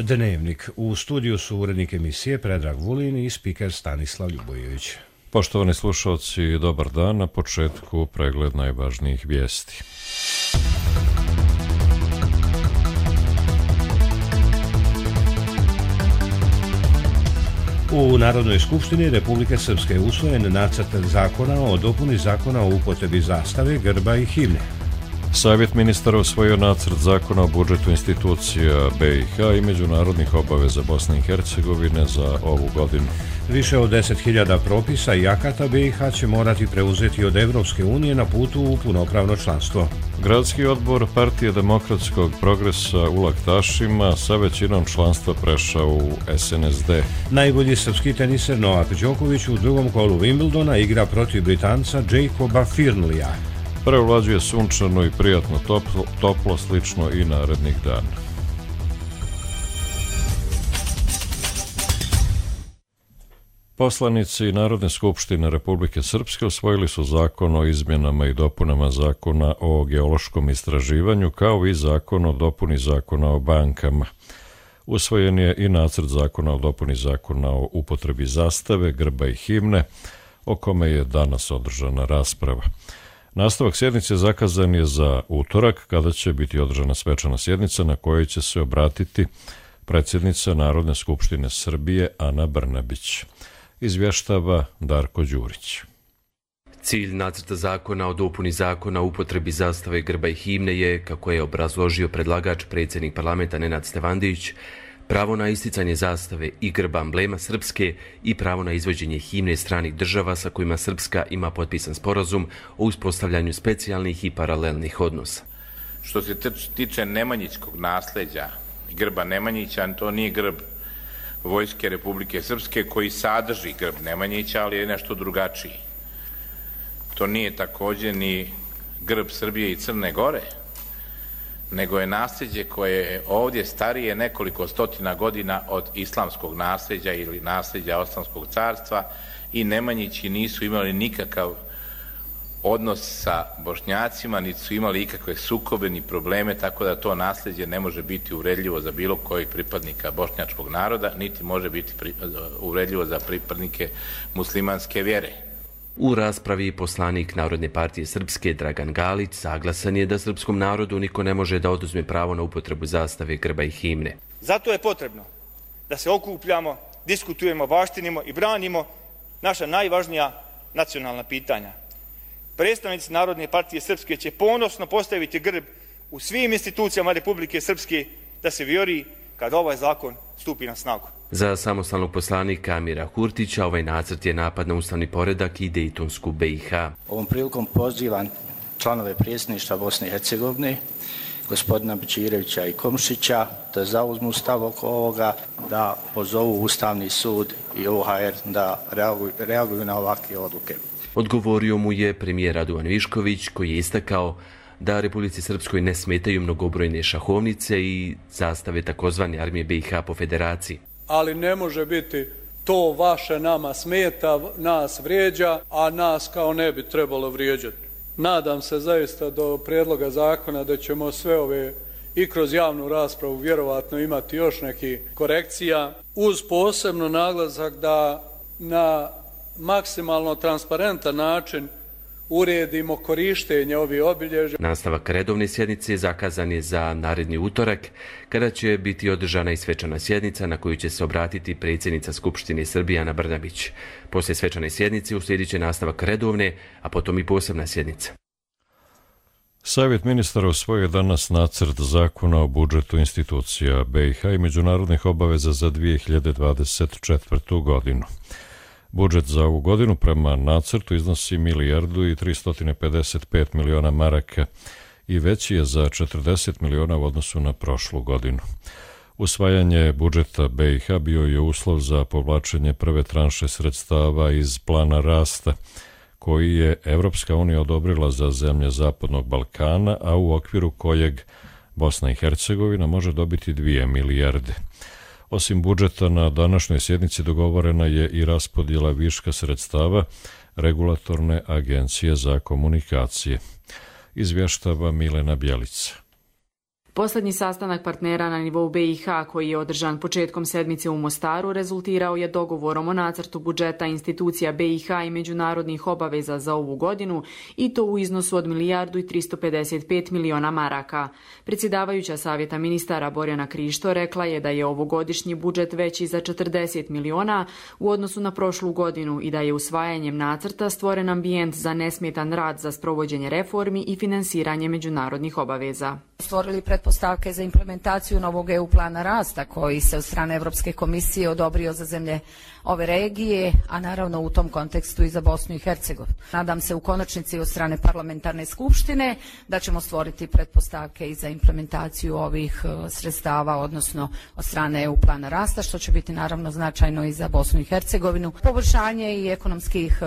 Dnevnik. U studiju su urednik emisije Predrag Vulin i spiker Stanislav Ljubojević. Poštovani slušalci, dobar dan. Na početku pregled najvažnijih vijesti. U Narodnoj skupštini Republike Srpske je usvojen nacrt zakona o dopuni zakona o upotrebi zastave, grba i himne. Savjet ministara usvojio nacrt zakona o budžetu institucija BiH i međunarodnih obaveza Bosne i Hercegovine za ovu godinu. Više od 10.000 propisa i akata BiH će morati preuzeti od Evropske unije na putu u punopravno članstvo. Gradski odbor Partije demokratskog progresa u Laktašima sa većinom članstva prešao u SNSD. Najbolji srpski teniser Novak Đoković u drugom kolu Wimbledona igra protiv Britanca Jacoba Firnlija. Prevlađuje sunčano i prijatno toplo, slično i narednih dana. Poslanici Narodne skupštine Republike Srpske usvojili su zakon o izmjenama i dopunama zakona o geološkom istraživanju, kao i zakon o dopuni zakona o bankama. Usvojen je i nacrt zakona o dopuni zakona o upotrebi zastave, grba i himne, o kome je danas održana rasprava. Nastavak sjednice zakazan je za utorak, kada će biti održana svečana sjednica na kojoj će se obratiti predsjednica Narodne skupštine Srbije Ana Brnabić. Izvještava Darko Đurić. Cilj nacrta zakona o dopuni zakona o upotrebi zastave, grba i himne je, kako je obrazložio predlagač predsjednik parlamenta Nenad Stevandić, pravo na isticanje zastave i grba amblema Srpske i pravo na izvođenje himne stranih država sa kojima Srpska ima potpisan sporazum o uspostavljanju specijalnih i paralelnih odnosa. Što se tiče nemanjićkog nasljeđa, grba Nemanjića, to nije grb Vojske Republike Srpske koji sadrži grb Nemanjića, ali je nešto drugačiji. To nije također ni grb Srbije i Crne Gore, nego je nasljeđe koje je ovdje starije nekoliko stotina godina od islamskog nasljeđa ili nasljeđa Osmanskog carstva i Nemanjići nisu imali nikakav odnos sa Bošnjacima, niti su imali ikakve sukobe ni probleme, tako da to nasljeđe ne može biti uvredljivo za bilo kojeg pripadnika bošnjačkog naroda, niti može biti uvredljivo za pripadnike muslimanske vjere. U raspravi poslanik Narodne partije Srpske Dragan Galić saglasan je da srpskom narodu niko ne može da oduzme pravo na upotrebu zastave, grba i himne. Zato je potrebno da se okupljamo, diskutujemo, baštinimo i branimo naša najvažnija nacionalna pitanja. Predstavnici Narodne partije Srpske će ponosno postaviti grb u svim institucijama Republike Srpske da se vjori kad ovaj zakon stupi na snagu. Za samostalnog poslanika Amira Kurtića ovaj nacrt je napad na ustavni poredak i Dejtonsku BiH. Ovom prilikom pozivam članove predsjedništva Bosne i Hercegovine, gospodina Bečirevića i Komšića, da zauzmu stav oko ovoga, da pozovu Ustavni sud i OHR da reaguju na ovakve odluke. Odgovorio mu je premijer Radovan Višković, koji je istakao da Republici Srpskoj ne smetaju mnogobrojne šahovnice i zastave takozvane armije BiH po federaciji. Ali ne može biti to vaše nama smeta, nas vrijeđa, a nas kao ne bi trebalo vrijeđati. Nadam se zaista do prijedloga zakona da ćemo sve ove i kroz javnu raspravu vjerovatno imati još neki korekcija, uz posebno naglasak da na maksimalno transparentan način uredimo korištenje ovih obilježja. Nastavak redovne sjednice zakazan je za naredni utorak, kada će biti održana i svečana sjednica na koju će se obratiti predsjednica Skupštine Srbije Ana Brnabić. Poslije svečane sjednice uslijedit će nastavak redovne, a potom i posebna sjednica. Savjet ministara usvojio danas nacrt zakona o budžetu institucija BiH i međunarodnih obaveza za 2024. godinu. Budžet za ovu godinu prema nacrtu iznosi 1.355 miliona maraka i veći je za 40 miliona u odnosu na prošlu godinu. Usvajanje budžeta BiH bio je uslov za povlačenje prve tranše sredstava iz plana rasta, koji je Evropska unija odobrila za zemlje Zapadnog Balkana, a u okviru kojeg Bosna i Hercegovina može dobiti 2 milijarde. Osim budžeta, na današnjoj sjednici dogovorena je i raspodjela viška sredstava Regulatorne agencije za komunikacije. Izvještava Milena Bjelica. Posljednji sastanak partnera na nivou BiH koji je održan početkom sedmice u Mostaru rezultirao je dogovorom o nacrtu budžeta institucija BiH i međunarodnih obaveza za ovu godinu i to u iznosu od 1.355 miliona maraka. Predsjedavajuća Savjeta ministara Borjana Krišto rekla je da je ovogodišnji budžet veći za 40 miliona u odnosu na prošlu godinu i da je usvajanjem nacrta stvoren ambijent za nesmetan rad za sprovođenje reformi i finansiranje međunarodnih obaveza. Stvorili pretpostavke za implementaciju novog EU plana rasta koji se od strane Europske komisije odobrio za zemlje ove regije, a naravno u tom kontekstu i za Bosnu i Hercegovinu. Nadam se u konačnici od strane parlamentarne skupštine da ćemo stvoriti pretpostavke i za implementaciju ovih sredstava, odnosno od strane EU plana rasta, što će biti naravno značajno i za Bosnu i Hercegovinu. Poboljšanje i ekonomskih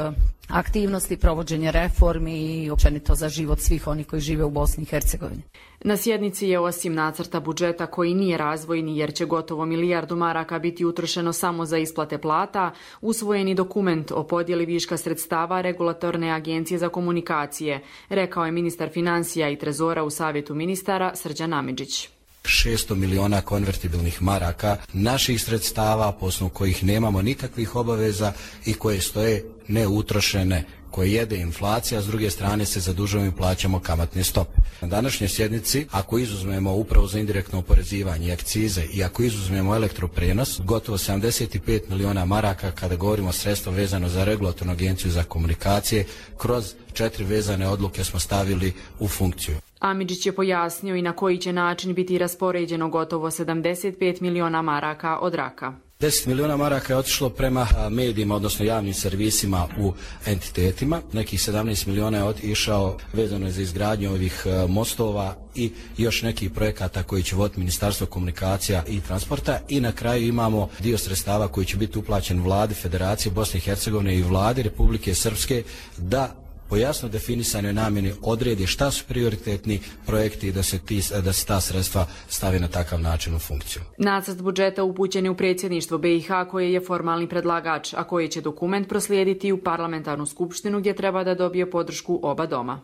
aktivnosti, provođenje reformi i općenito za život svih onih koji žive u Bosni i Hercegovini. Na sjednici je osim nacrta budžeta koji nije razvojni jer će gotovo 1 milijardu maraka biti utrošeno samo za isplate plata, usvojeni dokument o podjeli viška sredstava Regulatorne agencije za komunikacije, rekao je ministar financija i trezora u Savjetu ministara Srđan Amidžić. 600 miliona konvertibilnih maraka naših sredstava, po osnovu kojih nemamo nikakvih obaveza i koje stoje neutrošene, koje jede inflacija, s druge strane se zadužujemo i plaćamo kamatne stope. Na današnjoj sjednici, ako izuzmemo upravo za indirektno oporezivanje, akcize i ako izuzmemo elektroprenos, gotovo 75 miliona maraka kada govorimo o sredstva vezano za Regulatornu agenciju za komunikacije, kroz 4 vezane odluke smo stavili u funkciju. Amidžić je pojasnio i na koji će način biti raspoređeno gotovo 75 miliona maraka od raka. 10 miliona maraka je otišlo prema medijima, odnosno javnim servisima u entitetima. Nekih 17 miliona je išao vezano za izgradnju ovih mostova i još nekih projekata koji će voditi Ministarstvo komunikacija i transporta. I na kraju imamo dio sredstava koji će biti uplaćen vladi Federacije Bosne i Hercegovine i vladi Republike Srpske da po jasno definisanoj namjeni odredi šta su prioritetni projekti i da se ta sredstva stavi na takav način u funkciju. Nacrt budžeta upućen je u predsjedništvo BiH koje je formalni predlagač, a koji će dokument proslijediti u parlamentarnu skupštinu gdje treba da dobije podršku oba doma.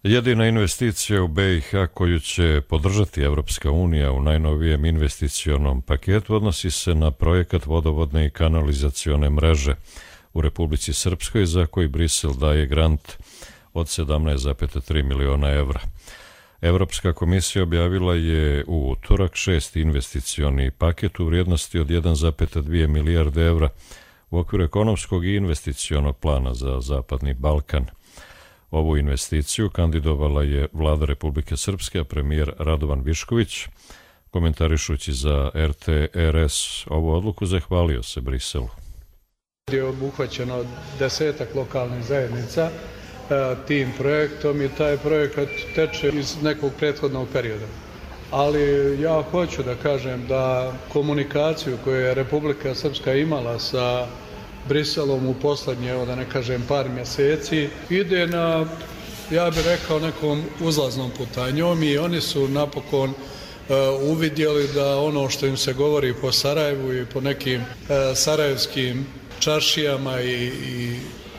Jedina investicija u BiH koju će podržati Evropska unija u najnovijem investicionom paketu odnosi se na projekat vodovodne i kanalizacione mreže u Republici Srpskoj za koji Brisel daje grant od 17,3 miliona evra. Evropska komisija objavila je u utorak 6. investicioni paket u vrijednosti od 1,2 milijarde evra u okviru ekonomskog i investicionog plana za Zapadni Balkan. Ovu investiciju kandidovala je vlada Republike Srpske, a premijer Radovan Višković, komentarišući za RTRS ovu odluku, zahvalio se Briselu. Je obuhvaćeno 10 lokalnih zajednica tim projektom i taj projekat teče iz nekog prethodnog perioda. Ali ja hoću da kažem da komunikaciju koju je Republika Srpska imala sa Briselom u poslednje, da ne kažem par mjeseci, ide na, ja bih rekao, nekom uzlaznom putanjom i oni su napokon uvidjeli da ono što im se govori po Sarajevu i po nekim sarajevskim čaršijama i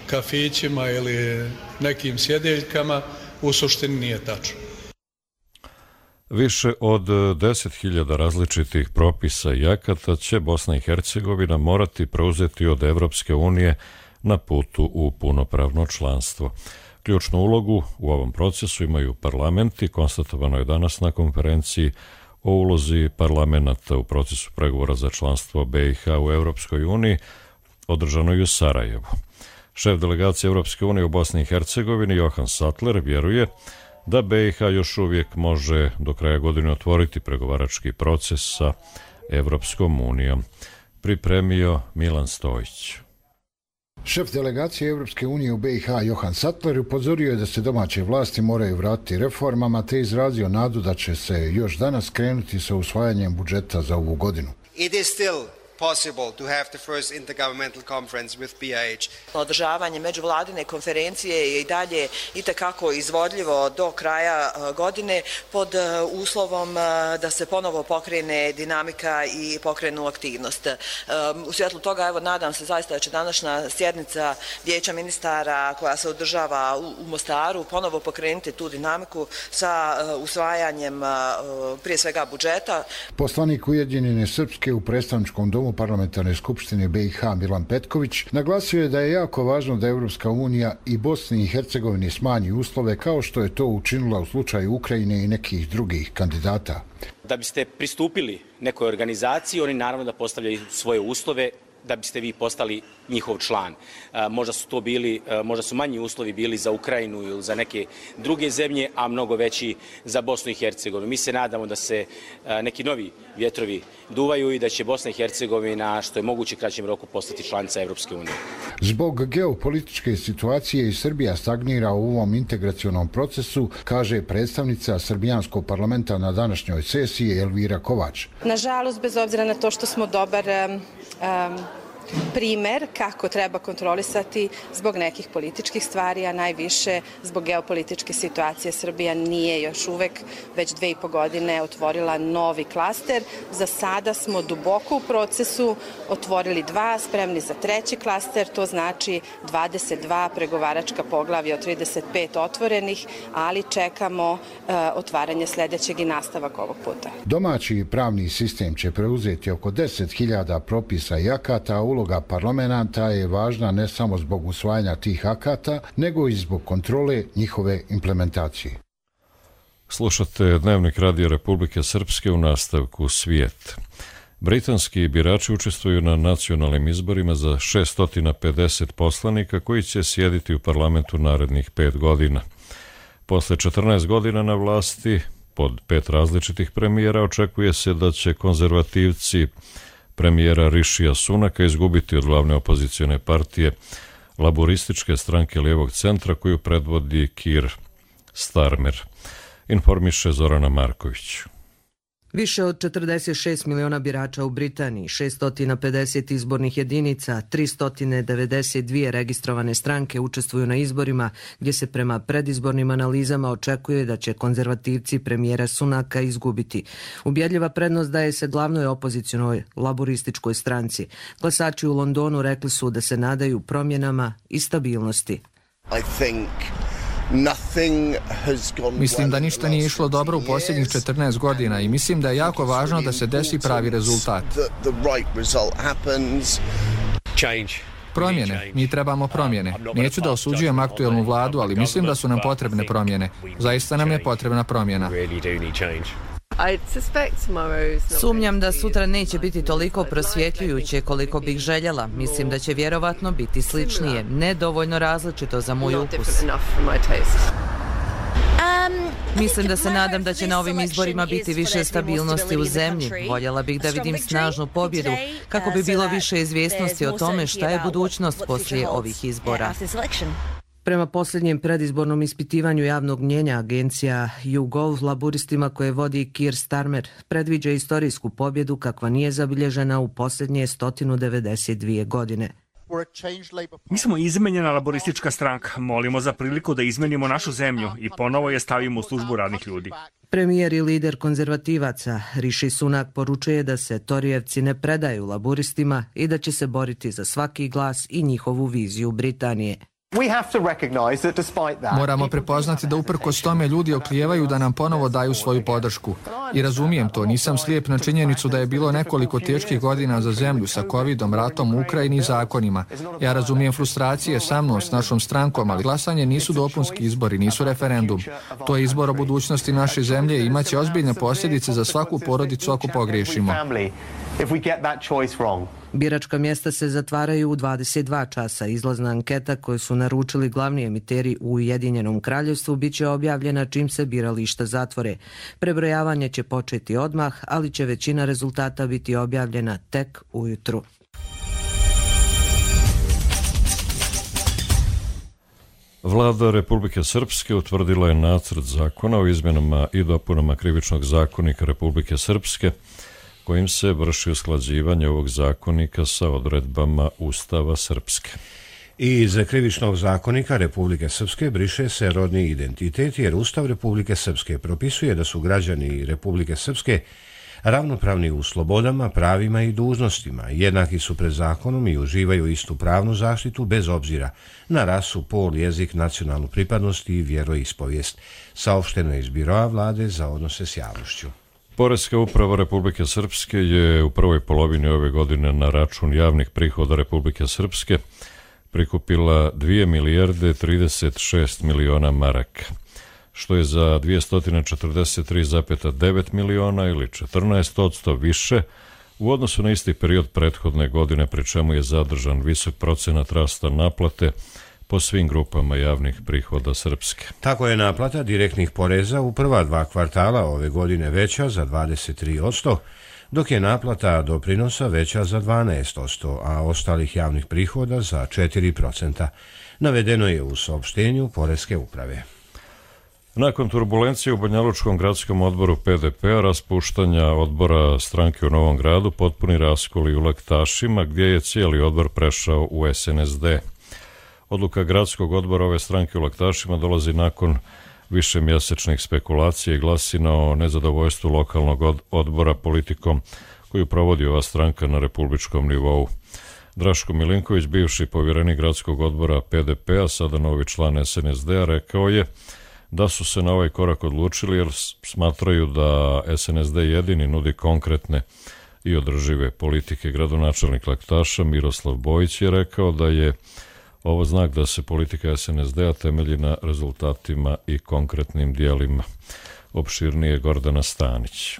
kafićima ili nekim sjedeljkama u suštini nije tačno. Više od 10.000 različitih propisa i akata će Bosna i Hercegovina morati preuzeti od Evropske unije na putu u punopravno članstvo. Ključnu ulogu u ovom procesu imaju parlamenti, konstatovano je danas na konferenciji o ulozi parlamenta u procesu pregovora za članstvo BiH u Evropskoj uniji, održano je u Sarajevu. Šef delegacije Evropske unije u Bosni i Hercegovini Johan Sattler vjeruje da BiH još uvijek može do kraja godine otvoriti pregovarački proces sa Evropskom unijom. Pripremio Milan Stojić. Šef delegacije Evropske unije u BiH Johan Sattler upozorio je da se domaće vlasti moraju vratiti reformama te izrazio nadu da će se još danas krenuti sa usvajanjem budžeta za ovu godinu. It is still possible to have the first intergovernmental conference with BIH. Održavanje međuvladine konferencije je i dalje itekako izvodljivo do kraja godine pod uslovom da se ponovo pokrene dinamika i pokrenu aktivnost. U svjetlu toga, evo, nadam se zaista da će današnja sjednica Vijeća ministara koja se održava u Mostaru ponovo pokrenuti tu dinamiku sa usvajanjem prije svega budžeta. Poslanik Ujedinjene Srpske u predstavničkom domu Parlamentarne skupštine BiH Milan Petković naglasio je da je jako važno da Evropska unija i Bosni i Hercegovini smanji uslove kao što je to učinila u slučaju Ukrajine i nekih drugih kandidata. Da biste pristupili nekoj organizaciji, oni naravno da postavljaju svoje uslove da biste vi postali njihov član. Možda su manji uslovi bili za Ukrajinu ili za neke druge zemlje, a mnogo veći za Bosnu i Hercegovinu. Mi se nadamo da se neki novi vjetrovi duvaju i da će Bosna i Hercegovina što je moguće kraćem roku postati članica Evropske unije. Zbog geopolitičke situacije i Srbija stagnira u ovom integracionom procesu, kaže predstavnica Srbijanskog parlamenta na današnjoj sesiji Elvira Kovač. Nažalost, bez obzira na to što smo dobar primer kako treba kontrolisati zbog nekih političkih stvari, a najviše zbog geopolitičke situacije, Srbija nije još uvek već 2,5 godine otvorila novi klaster. Za sada smo duboko u procesu, otvorili 2, spremni za 3. klaster, to znači 22 pregovaračka poglavlja od 35 otvorenih, ali čekamo otvaranje sljedećeg i nastavak ovog puta. Domaći pravni sistem će preuzeti oko 10.000 propisa i akata, a uloga parlamenta je važna ne samo zbog usvajanja tih akata, nego i zbog kontrole njihove implementacije. Slušate Dnevnik Radija Republike Srpske u nastavku Svijet. Britanski birači učestvuju na nacionalnim izborima za 650 poslanika koji će sjediti u parlamentu narednih 5 godina. Posle 14 godina na vlasti, pod 5 različitih premijera, očekuje se da će konzervativci premijera Rišija Sunaka izgubiti od glavne opozicione partije laborističke stranke lijevog centra koju predvodi Keir Starmer. Informiše Zorana Marković. Više od 46 miliona birača u Britaniji, 650 izbornih jedinica, 392 registrovane stranke učestvuju na izborima, gdje se prema predizbornim analizama očekuje da će konzervativci premijera Sunaka izgubiti. Ubjedljiva prednost daje se glavnoj opozicijonoj laborističkoj stranci. Glasači u Londonu rekli su da se nadaju promjenama i stabilnosti. Mislim da ništa nije išlo dobro u posljednjih 14 godina i mislim da je jako važno da se desi pravi rezultat. Promjene. Mi trebamo promjene. Neću da osuđujem aktuelnu vladu, ali mislim da su nam potrebne promjene. Zaista nam je potrebna promjena. Sumnjam da sutra neće biti toliko prosvjetljujuće koliko bih željela. Mislim da će vjerovatno biti sličnije, nedovoljno različito za moj ukus. Mislim da se nadam da će na ovim izborima biti više stabilnosti u zemlji. Voljela bih da vidim snažnu pobjedu kako bi bilo više izvjesnosti o tome šta je budućnost poslije ovih izbora. Prema posljednjem predizbornom ispitivanju javnog mnjenja, agencija YouGov laburistima koje vodi Keir Starmer predviđa istorijsku pobjedu kakva nije zabilježena u posljednje 192 godine. Mi smo izmenjena laboristička stranka. Molimo za priliku da izmenimo našu zemlju i ponovo je stavimo u službu radnih ljudi. Premijer i lider konzervativaca Riši Sunak poručuje da se Torijevci ne predaju laburistima i da će se boriti za svaki glas i njihovu viziju Britanije. Moramo prepoznati da uprkos tome ljudi oklijevaju da nam ponovo daju svoju podršku. I razumijem to, nisam slijep na činjenicu da je bilo nekoliko teških godina za zemlju sa covidom, ratom u Ukrajini i zakonima. Ja razumijem frustracije sa mnom, s našom strankom, ali glasanje nisu dopunski izbori, nisu referendum. To je izbor o budućnosti naše zemlje i imaće ozbiljne posljedice za svaku porodicu ako pogriješimo. Biračka mjesta se zatvaraju u 22 časa. Izlazna anketa koju su naručili glavni emiteri u Ujedinjenom kraljevstvu bit će objavljena čim se birališta zatvore. Prebrojavanje će početi odmah, ali će većina rezultata biti objavljena tek ujutru. Vlada Republike Srpske utvrdila je nacrt zakona o izmjenama i dopunama Krivičnog zakonika Republike Srpske kojim se vrši usklađivanje ovog zakonika sa odredbama Ustava Srpske. I iz Krivičnog zakonika Republike Srpske briše se rodni identitet, jer Ustav Republike Srpske propisuje da su građani Republike Srpske ravnopravni u slobodama, pravima i dužnostima, jednaki su pred zakonom i uživaju istu pravnu zaštitu bez obzira na rasu, pol, jezik, nacionalnu pripadnost i vjeroispovijest. Saopšteno je iz Biroa vlade za odnose s javnošću. Poreska uprava Republike Srpske je u prvoj polovini ove godine na račun javnih prihoda Republike Srpske prikupila 2 milijarde 36 miliona maraka, što je za 243,9 miliona ili 14% više u odnosu na isti period prethodne godine, pri čemu je zadržan visok procenat rasta naplate po svim grupama javnih prihoda Srpske. Tako je naplata direktnih poreza u prva 2 kvartala ove godine veća za 23%, dok je naplata doprinosa veća za 12%, a ostalih javnih prihoda za 4%. Navedeno je u saopštenju Poreske uprave. Nakon turbulencije u Banjalučkom gradskom odboru PDP-a, raspuštanja odbora stranke u Novom Gradu, potpuni raskoli u Laktašima, gdje je cijeli odbor prešao u SNSD. Odluka gradskog odbora ove stranke u Laktašima dolazi nakon višemjesečnih spekulacija i glasina o nezadovoljstvu lokalnog odbora politikom koju provodi ova stranka na republičkom nivou. Draško Milinković, bivši povjerenik gradskog odbora PDP-a, sada novi član SNSD-a, rekao je da su se na ovaj korak odlučili jer smatraju da SNSD jedini nudi konkretne i održive politike. Gradonačelnik Laktaša Miroslav Bojić je rekao da je ovo znak da se politika SNSD-a temelji na rezultatima i konkretnim dijelima. Opširnije Gordana Stanić.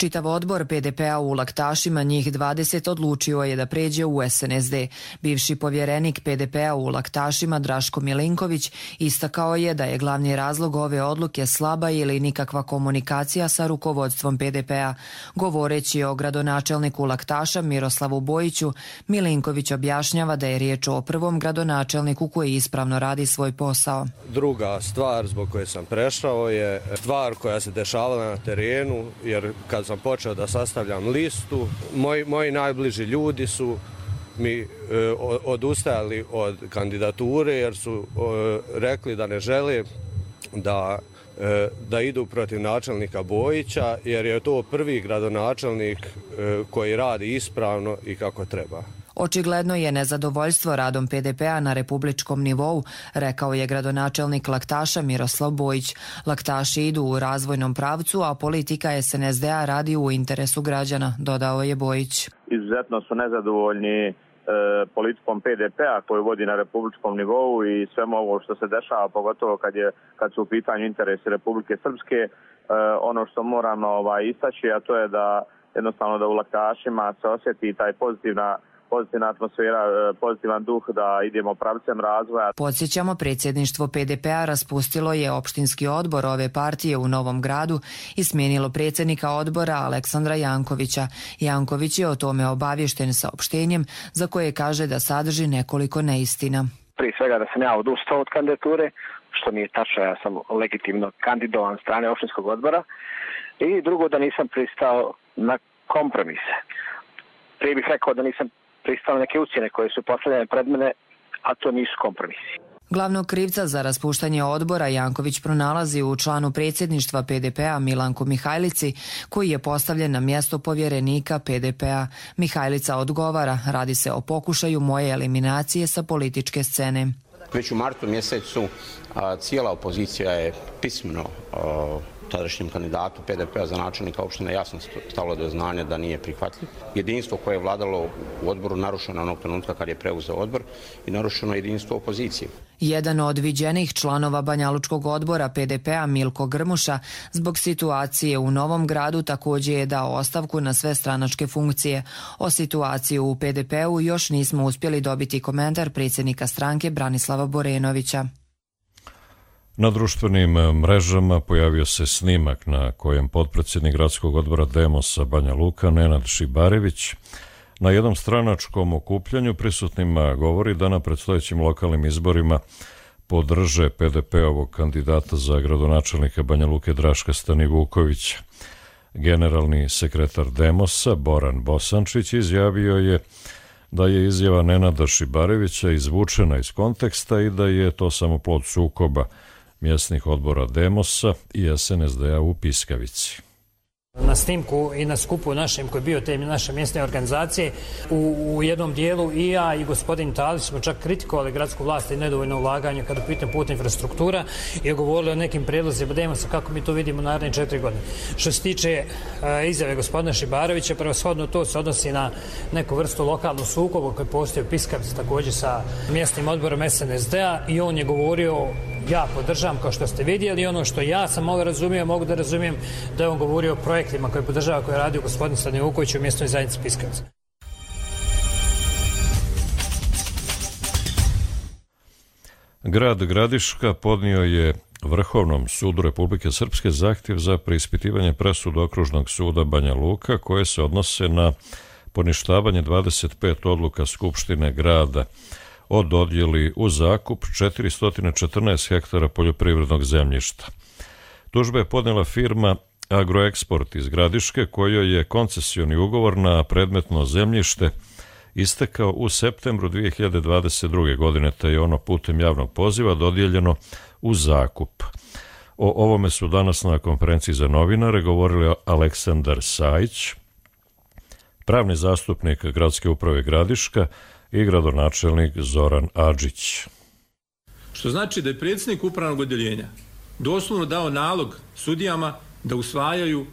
Čitav odbor PDP-a u Laktašima, njih 20, odlučio je da pređe u SNSD. Bivši povjerenik PDP-a u Laktašima Draško Milinković istakao je da je glavni razlog ove odluke slaba ili nikakva komunikacija sa rukovodstvom PDP-a. Govoreći o gradonačelniku Laktaša Miroslavu Bojiću, Milinković objašnjava da je riječ o prvom gradonačelniku koji ispravno radi svoj posao. Druga stvar zbog koje sam prešao je stvar koja se dešavala na terenu, jer kad sam počeo da sastavljam listu, moji najbliži ljudi su mi odustajali od kandidature jer su rekli da ne žele da idu protiv načelnika Bojića, jer je to prvi gradonačelnik koji radi ispravno i kako treba. Očigledno je nezadovoljstvo radom PDP-a na republičkom nivou, rekao je gradonačelnik Laktaša Miroslav Bojić. Laktaši idu u razvojnom pravcu, a politika SNSD-a radi u interesu građana, dodao je Bojić. Izuzetno su nezadovoljni politikom PDP-a koju vodi na republičkom nivou i svemu ovo što se dešava, pogotovo kad su u pitanju interesi Republike Srpske. Ono što moram istaći, a to je da jednostavno da u Laktašima se osjeti taj pozitivna atmosfera, pozitivan duh da idemo pravcem razvoja. Podsjećamo, predsjedništvo PDP-a raspustilo je opštinski odbor ove partije u Novom Gradu i smijenilo predsjednika odbora Aleksandra Jankovića. Janković je o tome obaviješten saopštenjem za koje kaže da sadrži nekoliko neistina. Prije svega da sam ja odustao od kandidature, što nije tačno, ja sam legitimno kandidovan strane opštinskog odbora, i drugo da nisam pristao na kompromise. Prije bih rekao da nisam pristao neke ucjene koje su postavljene pred mene, a to nisu kompromisi. Glavnog krivca za raspuštanje odbora Janković pronalazi u članu predsjedništva PDP-a Milanku Mihajlici, koji je postavljen na mjesto povjerenika PDP-a. Mihajlica odgovara, radi se o pokušaju moje eliminacije sa političke scene. Već u martu mjesecu cijela opozicija je pismeno tadašnjem kandidatu PDP-a za načelnika opštine jasno stavilo do znanja da nije prihvatljiv. Jedinstvo koje je vladalo u odboru narušeno onog trenutka kad je preuzeo odbor i narušeno jedinstvo opozicije. Jedan od viđenih članova Banjalučkog odbora PDP-a Milko Grmuša zbog situacije u Novom Gradu također je dao ostavku na sve stranačke funkcije. O situaciji u PDP-u još nismo uspjeli dobiti komentar predsjednika stranke Branislava Borenovića. Na društvenim mrežama pojavio se snimak na kojem potpredsjednik gradskog odbora Demosa Banja Luka Nenad Šibarević na jednom stranačkom okupljanju prisutnima govori da na predstojećim lokalnim izborima podrže PDP-ovog kandidata za gradonačelnika Banja Luke Draška Stanivukovića. Generalni sekretar Demosa Boran Bosančić izjavio je da je izjava Nenada Šibarevića izvučena iz konteksta i da je to samo plod sukoba mjesnih odbora Demosa i SNSD-a u Piskavici. Na snimku i na skupu našem koji je bio te naše mjesne organizacije u jednom dijelu i ja i gospodin Talić smo čak kritikovali gradsku vlast i nedovoljno ulaganje kada pitam putna infrastruktura i govorili o nekim prijedlozima Demosa kako mi to vidimo naredne 4 godine. Što se tiče izjave gospodina Šibarevića, prevashodno to se odnosi na neku vrstu lokalnog sukoba koji postoji u Piskavici također sa mjesnim odborom SNSD-a i on je govorio, ja podržavam kao što ste vidjeli, ono što ja sam mogu da razumijem da je on govorio o projektima koje podržava, koje je radio gospodin Stanivuković u mjesnoj zajednici Piskavica. Grad Gradiška podnio je Vrhovnom sudu Republike Srpske zahtjev za preispitivanje presude Okružnog suda Banja Luka koje se odnose na poništavanje 25 odluka Skupštine grada o dodjeli u zakup 414 hektara poljoprivrednog zemljišta. Tužba je podnijela firma Agroeksport iz Gradiške kojoj je koncesioni ugovor na predmetno zemljište istekao u septembru 2022. godine, te je ono putem javnog poziva dodijeljeno u zakup. O ovome su danas na konferenciji za novinare govorili Aleksandar Sajić, pravni zastupnik Gradske uprave Gradiška i gradonačelnik Zoran Adžić. Što znači da je predsjednik upravnog odjeljenja doslovno dao nalog sudijama da usvajaju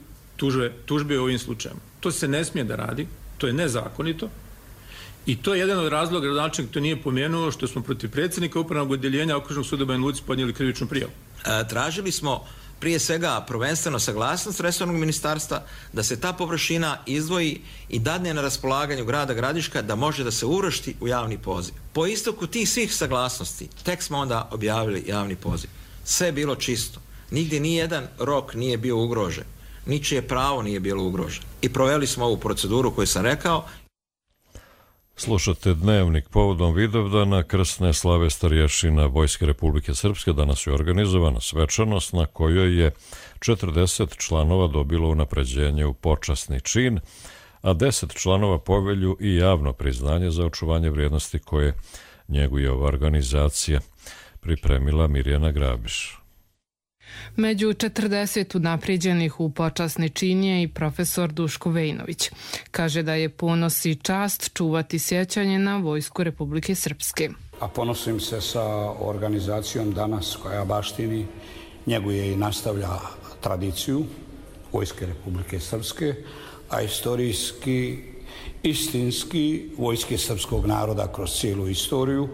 tužbe u ovim slučajima. To se ne smije da radi, to je nezakonito i to je jedan od razloga, gradonačelnik to nije pomenuo, što smo protiv predsjednika upravnog odjeljenja Okružnog suda Banja Luci podnijeli krivičnu prijavu. Tražili smo prije svega prvenstveno saglasnost resornog ministarstva da se ta površina izdvoji i dadne na raspolaganju grada Gradiška da može da se uvrsti u javni poziv. Po istoku tih svih saglasnosti tek smo onda objavili javni poziv. Sve je bilo čisto. Nigdje nijedan rok nije bio ugrožen. Ničije pravo nije bilo ugroženo. I proveli smo ovu proceduru koju sam rekao. Slušate Dnevnik povodom Vidovdana krsne slave starješina Vojske Republike Srpske. Danas je organizovana svečanost na kojoj je 40 članova dobilo unapređenje u počasni čin, a 10 članova povelju i javno priznanje za očuvanje vrijednosti koje njeguje ova organizacija, pripremila Mirjana Grabiš. Među 40 unaprijeđenih u počasni čin je i profesor Duško Vejnović. Kaže da je ponos i čast čuvati sjećanje na Vojsku Republike Srpske. A ponosim se sa organizacijom danas koja baštini, njeguje i nastavlja tradiciju Vojske Republike Srpske, a istorijski istinski Vojske srpskog naroda kroz cijelu istoriju.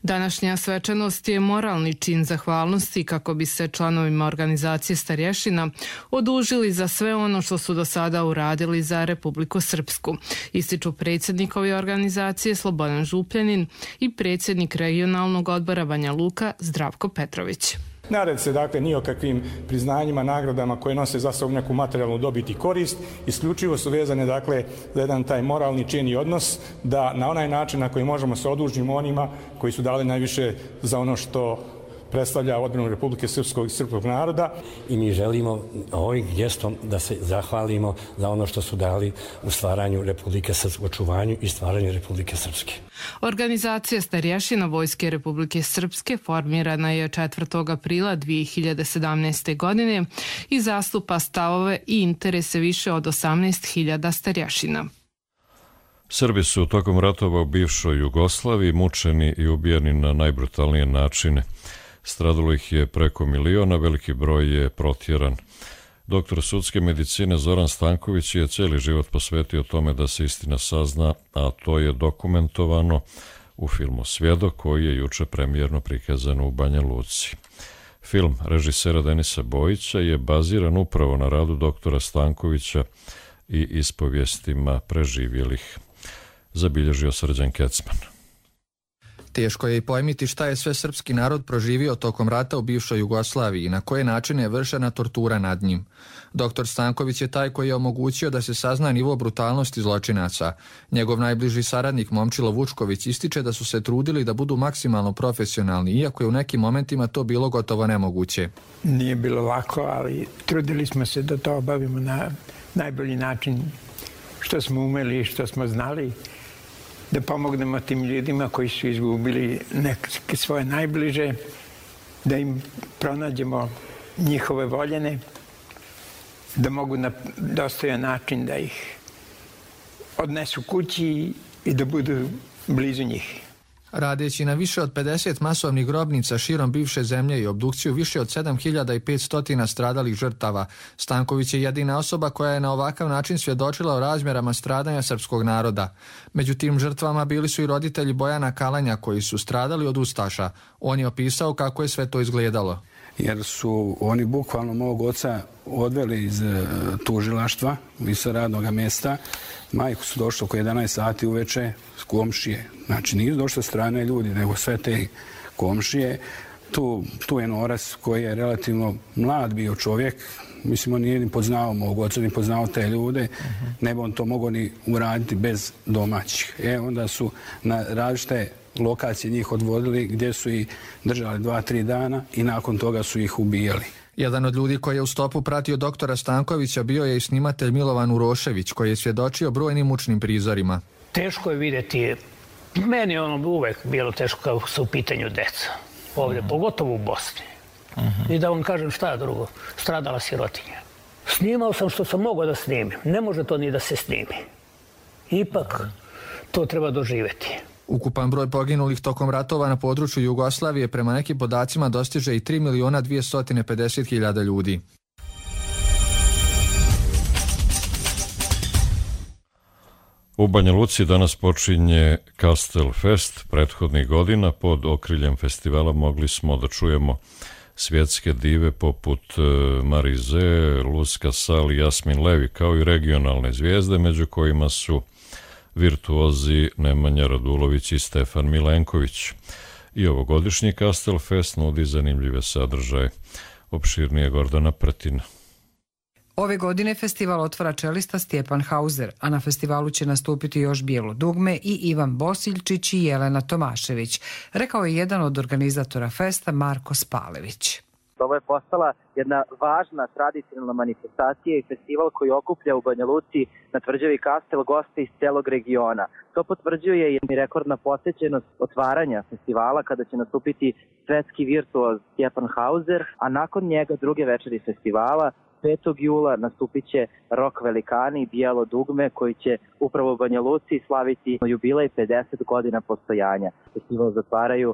Današnja svečanost je moralni čin zahvalnosti kako bi se članovima organizacije starješina odužili za sve ono što su do sada uradili za Republiku Srpsku. Ističu predsjednik ove organizacije Slobodan Župljanin i predsjednik regionalnog odbora Banja Luka Zdravko Petrović. Ne radi se dakle ni o kakvim priznanjima, nagradama koje nose za sobom neku materijalnu dobit i korist, isključivo su vezane dakle za jedan taj moralni čin i odnos da na onaj način na koji možemo se odužimo onima koji su dali najviše za ono što predstavlja odbranu Republike Srpskog i srpskog naroda. I mi želimo ovim gestom da se zahvalimo za ono što su dali u stvaranju Republike Srpske, očuvanju i stvaranju Republike Srpske. Organizacija starješina Vojske Republike Srpske formirana je 4. aprila 2017. godine i zastupa stavove i interese više od 18.000 starješina. Srbi su tokom ratova u bivšoj Jugoslaviji mučeni i ubijeni na najbrutalnije načine. Stradalo ih je preko 1 miliona, veliki broj je protjeran. Doktor sudske medicine Zoran Stanković je cijeli život posvetio tome da se istina sazna, a to je dokumentovano u filmu Svjedok koji je juče premijerno prikazan u Banja Luci. Film režisera Denisa Bojića je baziran upravo na radu doktora Stankovića i ispovijestima preživjelih, zabilježio Srđan Kecman. Teško je i pojmiti šta je sve srpski narod proživio tokom rata u bivšoj Jugoslaviji i na koje načine je vršena tortura nad njim. Dr. Stanković je taj koji je omogućio da se sazna nivo brutalnosti zločinaca. Njegov najbliži saradnik Momčilo Vučković ističe da su se trudili da budu maksimalno profesionalni, iako je u nekim momentima to bilo gotovo nemoguće. Nije bilo lako, ali trudili smo se da to obavimo na najbolji način što smo umeli i što smo znali, da pomognemo tim ljudima koji su izgubili neke svoje najbliže, da im pronađemo njihove voljene, da mogu na dostojan način da ih odnesu kući i da budu blizu njih. Radeći na više od 50 masovnih grobnica širom bivše zemlje i obdukciju više od 7500 stradalih žrtava, Stanković je jedina osoba koja je na ovakav način svjedočila o razmjerama stradanja srpskog naroda. Među tim žrtvama bili su i roditelji Bojana Kalanja koji su stradali od ustaša. On je opisao kako je sve to izgledalo. Jer su oni bukvalno mog oca odveli iz tužilaštva, iz radnog mjesta. Majku su došli oko 11 sati uveče s komšije. Znači nisu došli strane ljudi, nego sve te komšije. Tu je Noras koji je relativno mlad bio čovjek. Mislim, on nije ni poznao mog oca, ni poznao te ljude. Ne bi on to mogao ni uraditi bez domaćih. Onda su na različite lokacije njih odvodili gdje su ih držali 2-3 dana i nakon toga su ih ubijali. Jedan od ljudi koji je u stopu pratio doktora Stankovića bio je i snimatelj Milovan Urošević koji je svjedočio brojnim mučnim prizorima. Teško je vidjeti, meni je uvek bilo teško kao su u pitanju deca, ovdje, pogotovo u Bosni. I da vam kažem šta je drugo, stradala sirotinja. Snimao sam što sam mogao da snimim, ne može to ni da se snimi. Ipak to treba doživjeti. Ukupan broj poginulih tokom ratova na području Jugoslavije prema nekim podacima dostiže i 3.250.000 ljudi. U Banja Luci danas počinje Kastel Fest. Prethodnih godina pod okriljem festivala mogli smo da čujemo svjetske dive poput Marize, Luz Casal i Jasmin Levi, kao i regionalne zvijezde, među kojima su virtuozi Nemanja Radulović i Stefan Milenković. I ovogodišnji Kastel Fest nudi zanimljive sadržaje. Opširnije Gordana Pretina. Ove godine festival otvara čelista Stjepan Hauser, a na festivalu će nastupiti još Bijelo dugme i Ivan Bosiljčić i Jelena Tomašević, rekao je jedan od organizatora festa Marko Spalević. Ovo je postala jedna važna tradicionalna manifestacija i festival koji okuplja u Banja Luci na tvrđavi Kastel goste iz celog regiona. To potvrđuje i rekordna posjećenost otvaranja festivala kada će nastupiti svetski virtuoz Stjepan Hauser, a nakon njega druge večeri festivala 5. jula nastupit će rock velikani i Bijelo dugme koji će upravo u Banja Luci slaviti jubilej 50 godina postojanja. Festival zatvaraju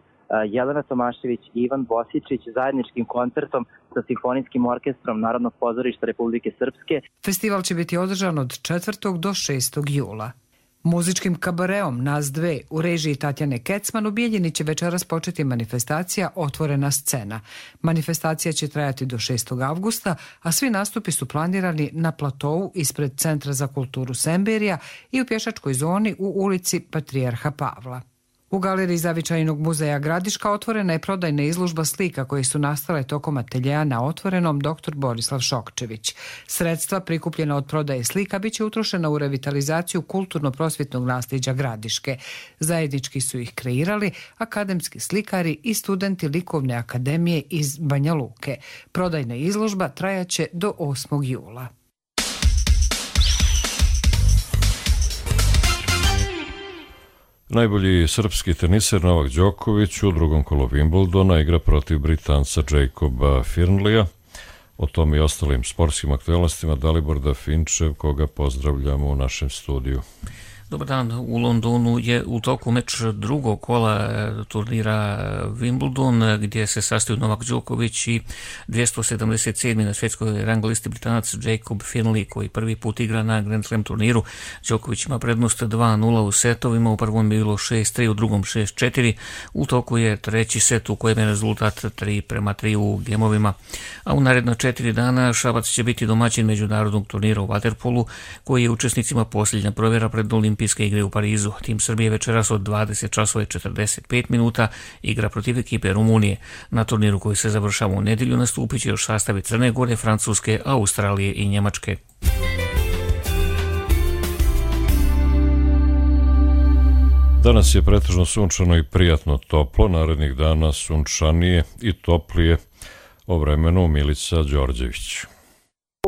Jelena Tomašević i Ivan Bosičić zajedničkim koncertom sa Simfonijskim orkestrom Narodnog pozorišta Republike Srpske. Festival će biti održan od 4. do 6. jula. Muzičkim kabareom Nas dve u režiji Tatjane Kecman u Bijeljini će večeras početi manifestacija Otvorena scena. Manifestacija će trajati do 6. avgusta, a svi nastupi su planirani na platovu ispred Centra za kulturu Semberija i u pješačkoj zoni u ulici Patrijarha Pavla. U galeriji Zavičajnog muzeja Gradiška otvorena je prodajna izložba slika koje su nastale tokom ateljeja na Otvorenom dr. Borislav Šokčević. Sredstva prikupljena od prodaje slika bit će utrošena u revitalizaciju kulturno-prosvjetnog nasljeđa Gradiške. Zajednički su ih kreirali akademski slikari i studenti Likovne akademije iz Banja Luke. Prodajna izložba trajaće do 8. jula. Najbolji srpski teniser Novak Đoković u drugom kolu Wimbledona igra protiv Britanca Jacoba Fernleya. O tom i ostalim sportskim aktualnostima Dalibor Dafinčev, koga pozdravljamo u našem studiju. Dobar dan, u Londonu je u toku meč drugog kola turnira Wimbledon, gdje se sastaju Novak Đoković i 277. na svjetskoj rang listi Britanac Jacob Fernley, koji prvi put igra na Grand Slam turniru. Đoković ima prednost 2-0 u setovima, u prvom bilo 6-3, u drugom 6-4. U toku je treći set u kojem je rezultat 3-3 u gemovima. A u naredna 4 dana Šabac će biti domaćin međunarodnog turnira u vaterpolu, koji je učesnicima posljednja provjera pred Olimpijskim Olimpijske igre u Parizu. Tim Srbije večeras od 20 časova i 45 minuta igra protiv ekipe Rumunije. Na turniru koji se završava u nedjelju nastupit će još sastavi Crne Gore, Francuske, Australije i Njemačke. Danas je pretežno sunčano i prijatno toplo, narednih dana sunčanije i toplije. O vremenu Milica Đorđević.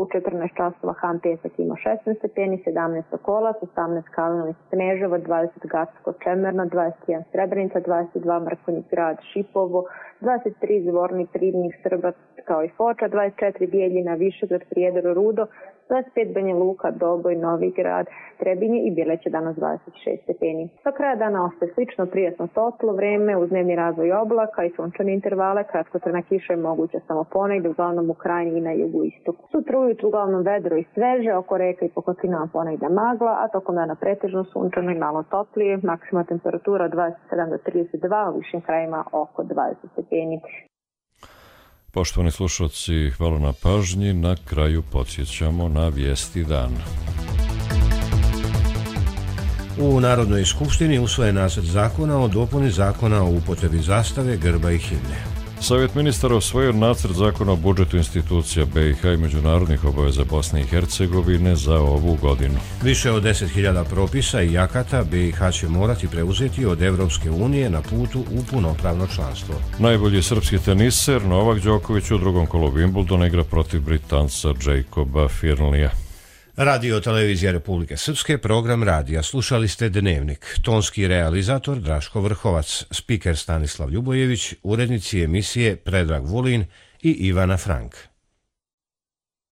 U 14 časova Han Pesak ima 16 stepeni, 17 Sokolac, 18 Kalinović Sneževo, 20 Gacko Čemerno, 21 Srebrenica, 22 Mrkonjić Grad Šipovo, 23 Zvornik Ribnik Srbac kao i Foča, 24 Bijeljina Višegrad Prijedor Rudo, 25 Banja Luka, Doboj, Novigrad, Trebinje i Bjeleće danas 26 stepeni. Do kraja dana ostaje slično prijatno toplo vreme uz dnevni razvoj oblaka i sunčane intervale, kratkotrajna kiša je moguća samo ponegdje, uglavnom u krajini i na jugu istoku. Sutra ujutru uglavnom vedro i sveže, oko reka i po kotinama ponegdje magla, a tokom dana pretežno sunčano i malo toplije, maksimalna temperatura 27 do 32, u višim krajima oko 20 stepeni. Poštovani slušalci, hvala na pažnji. Na kraju podsjećamo na vijesti dana. U Narodnoj skupštini usvojen nacrt zakona o dopuni zakona o upotrebi zastave, grba i himne. Savjet ministara usvojio nacrt zakona o budžetu institucija BiH i međunarodnih obaveza Bosne i Hercegovine za ovu godinu. Više od 10.000 propisa i akata BiH će morati preuzeti od Evropske unije na putu u punopravno članstvo. Najbolji srpski teniser Novak Đoković u drugom kolu Wimbledona igra protiv Britanca Jacoba Firnlija. Radio Televizija Republike Srpske, program radija. Slušali ste Dnevnik. Tonski realizator Draško Vrhovac, spiker Stanislav Ljubojević, urednici emisije Predrag Vulin i Ivana Frank.